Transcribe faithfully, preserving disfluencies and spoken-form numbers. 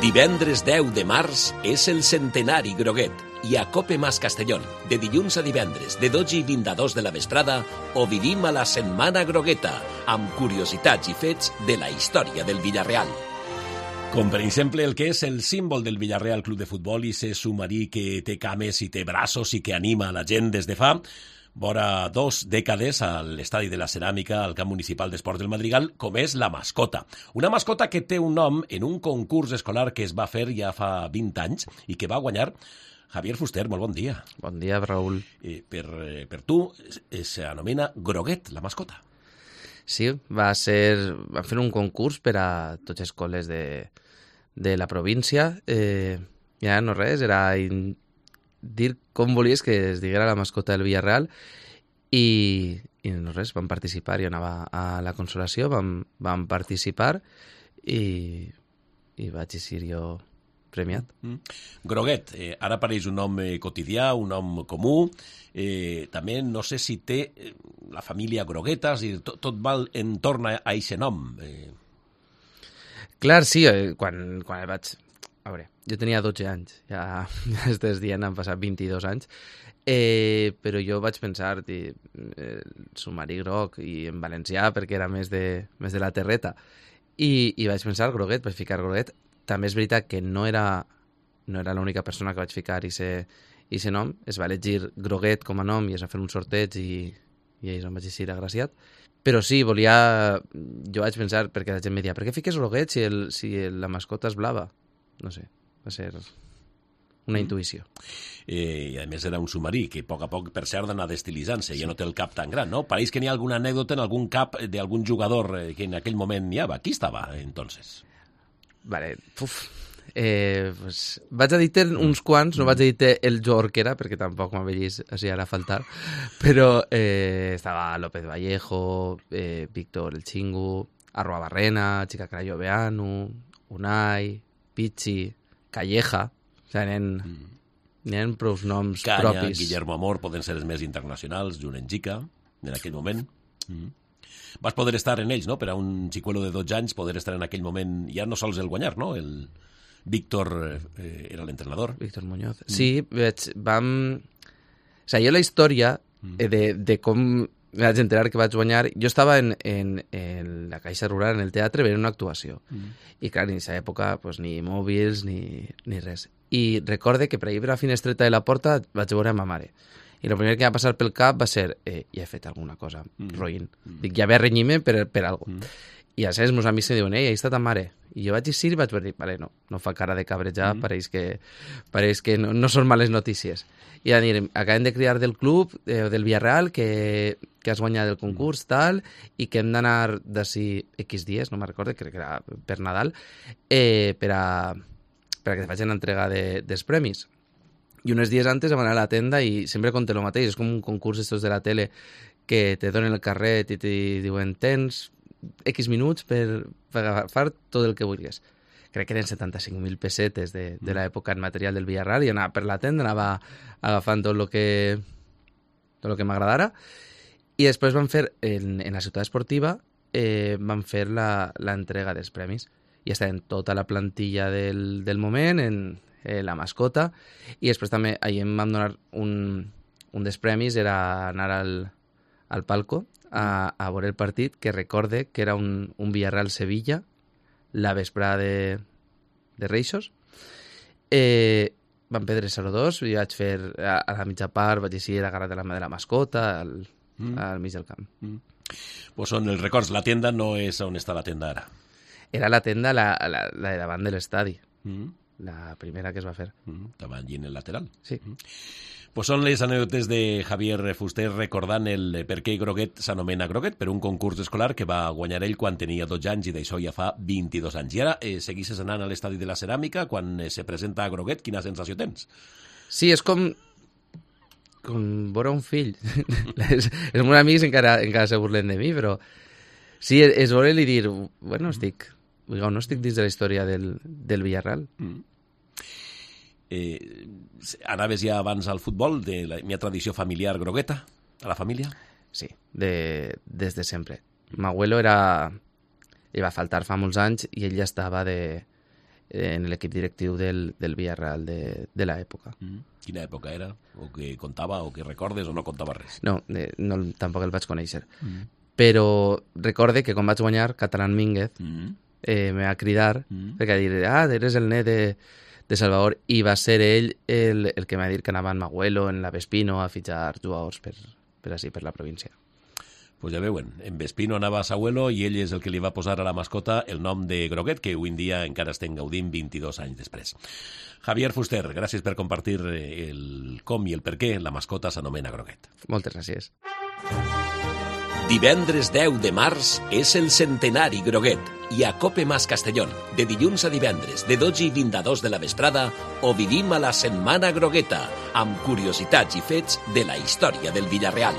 Divendres deu de març és el centenari Groguet i a Cope Mas Castellón, de dilluns a divendres, de dotze i vint a dos de la vesprada, ho vivim a la Setmana Grogueta, amb curiositats i fets de la història del Villarreal. Com per exemple el que és el símbol del Villarreal Club de Futbol i ser submarí que té cames i té braços i que anima a la gent des de fa vora dos dècades a l'estadi de la Ceràmica al Camp Municipal d'Esports del Madrigal, com és la mascota. Una mascota que té un nom en un concurs escolar que es va fer ja fa vint anys i que va guanyar Javier Fuster. Molt bon dia. Bon dia, Raül. Eh, per, eh, per tu s'anomena Groguet, la mascota. Sí, va ser, van fer un concurs per a tots les escoles de, de la província. Eh, ja no res, era in, dir com volies que es diguera la mascota del Villarreal i, i no res, vam participar. Jo anava a la Consolació, vam, vam participar i, i vaig eixir jo premiat. Mm. Groguet, eh, ara apareix un nom eh, quotidià, un nom comú. Eh, també no sé si té eh, la família Groguetas i tot, tot va entorn a aquest nom. Eh. Clar, sí, eh, quan, quan el vaig... A veure, jo tenia dotze anys, ja, ja estàs dient, han passat vint-i-dos anys, eh, però jo vaig pensar, eh, submarí groc i en valencià perquè era més de, més de la terreta, i, i vaig pensar Groguet, vaig ficar Groguet. També és veritat que no era, no era l'única persona que vaig ficar aquest nom, es va elegir Groguet com a nom i es va fer un sorteig i, i ells em vaig eixir agraciat. Però sí, volia... Jo vaig pensar, perquè la gent em deia, per què fiques Groguet si, el, si la mascota és blava? No sé, va ser una mm. intuïció. Eh, I a més era un submarí que a poc a poc, per cert, d'anar d'estilitzant-se, sí. Ja no té el cap tan gran, no? Pareix que n'hi ha alguna anècdota en algun cap d'algun jugador que en aquell moment n'hi havia. Qui estava, entonces? Vale, uf, eh, pues, vaig a dir-te uns quants, no vaig a dir-te el jugador que era, perquè tampoc m'avellis així ara a faltar, però eh, estava López Vallejo, eh, Víctor El Chingu, Arroa Barrena, Chica Crayo Beanu, Unai, Pichi, Calleja, o sigui, n'hi mm. ha prou noms Canya, propis. Guillermo Amor poden ser els més internacionals, Junenjica, en aquell moment. Mm. Vas poder estar en ells, no?, per a un xicuelo de dotze anys, poder estar en aquell moment, ja no sols el guanyar, no?, el Víctor eh, era l'entrenador. Víctor Muñoz. Mm. Sí, veig, vam... O sigui, jo la història mm. de, de com me vaig enterar que vaig guanyar, jo estava en, en, en la Caixa Rural, en el teatre, veient una actuació. Mm. I clar, en aquesta època, pues, ni mòbils ni, ni res. I recorde que per ahir per la finestreta de la porta vaig veure a ma mare. I el primer que va passar pel cap va ser eh, ja he fet alguna cosa, mm. roïn. Mm. Dic, ja ve a renyir-me per, per alguna cosa. Mm. I a els meus amics em diuen, ei, ahí està ta mare. I jo vaig eixir i vaig dir, vale, no, no fa cara de cabrejar, mm. pareix que, pareix que no, no són males notícies. I van dir, acabem de cridar del club, eh, del Villarreal, que, que has guanyat el concurs, tal, i que hem d'anar d'ací X dies, no me'n recordo, crec que era per Nadal, eh, per, a, per a que te facin l'entrega de, dels premis. I uns dies antes vam anar a la tenda i sempre conté el mateix, és com un concurs estos de la tele que te donen el carret i te diuen tens X minuts per, per agafar tot el que vulguis. Crec que eren setanta-cinc mil pessetes de, de l'època en material del Villarreal i anava per la tenda, anava agafant tot el que tot el que m'agradara i després van fer, en, en la ciutat esportiva, eh, van fer l'entrega dels premis i estaven tota la plantilla del, del moment, en eh, la mascota, i després també ahir em van donar un, un dels premis, era anar al, al palco a, a veure el partit, que recorde que era un, un Villarreal-Sevilla, la vesprada de, de Reixos. Eh, van perdre zero dos, i vaig fer a, a la mitja part, vaig eixir agarrat de la mà de la mascota al, mm. al mig del camp. Mm. Pues són els records. La tenda no és on està la tenda ara. Era la tenda, la, la, la de davant de l'estadi. Mm. La primera que es va fer. Mm. Estava allí en el lateral. Sí. Mm. Pues són les anècdotes de Javier Fuster recordant el per què Groguet s'anomena Groguet, per un concurs escolar que va guanyar ell quan tenia dotze anys i d'això ja fa vint-i-dos anys. I ara eh, seguisses anant a l'estadi de la Ceràmica quan eh, se presenta a Groguet. Quina sensació tens? Sí, és com com veure un fill. els, els meus amics encara, encara se burlen de mi, però sí, és veure-li dir, bueno, estic, no estic dins de la història del, del Villarreal. Mm. Eh, anaves ja abans al futbol, de la meva tradició familiar grogueta, a la família? Sí, de, des de sempre. M'abuelo era... li va faltar fa molts anys i ell ja estava de, en l'equip directiu del, del Villarreal de, de l'època. Mm. Quina època era? O que contava, o que recordes, o no contava res? No, eh, no tampoc el vaig conèixer. Mm. Però recorde que quan vaig guanyar, Catalán Mínguez Mm. eh, me va cridar Mm. perquè va dir, ah, eres el net de, de Salvador, i va ser ell el, el que m'ha dit que anava en Magüelo, en la Vespino, a fitxar jugadors per, per així, per la província. Pues ja veuen, en Vespino anava a Sahuelo i ell és el que li va posar a la mascota el nom de Groguet, que avui en dia encara estem gaudint vint-i-dos anys després. Javier Fuster, gràcies per compartir el com i el per què la mascota s'anomena Groguet. Moltes gràcies. Divendres deu de març és el centenari Groguet i a Cope Mas Castellón, de dilluns a divendres, de dotze i vint a dos de la vesprada, o vivim a la Setmana Grogueta, amb curiositats i fets de la història del Villarreal.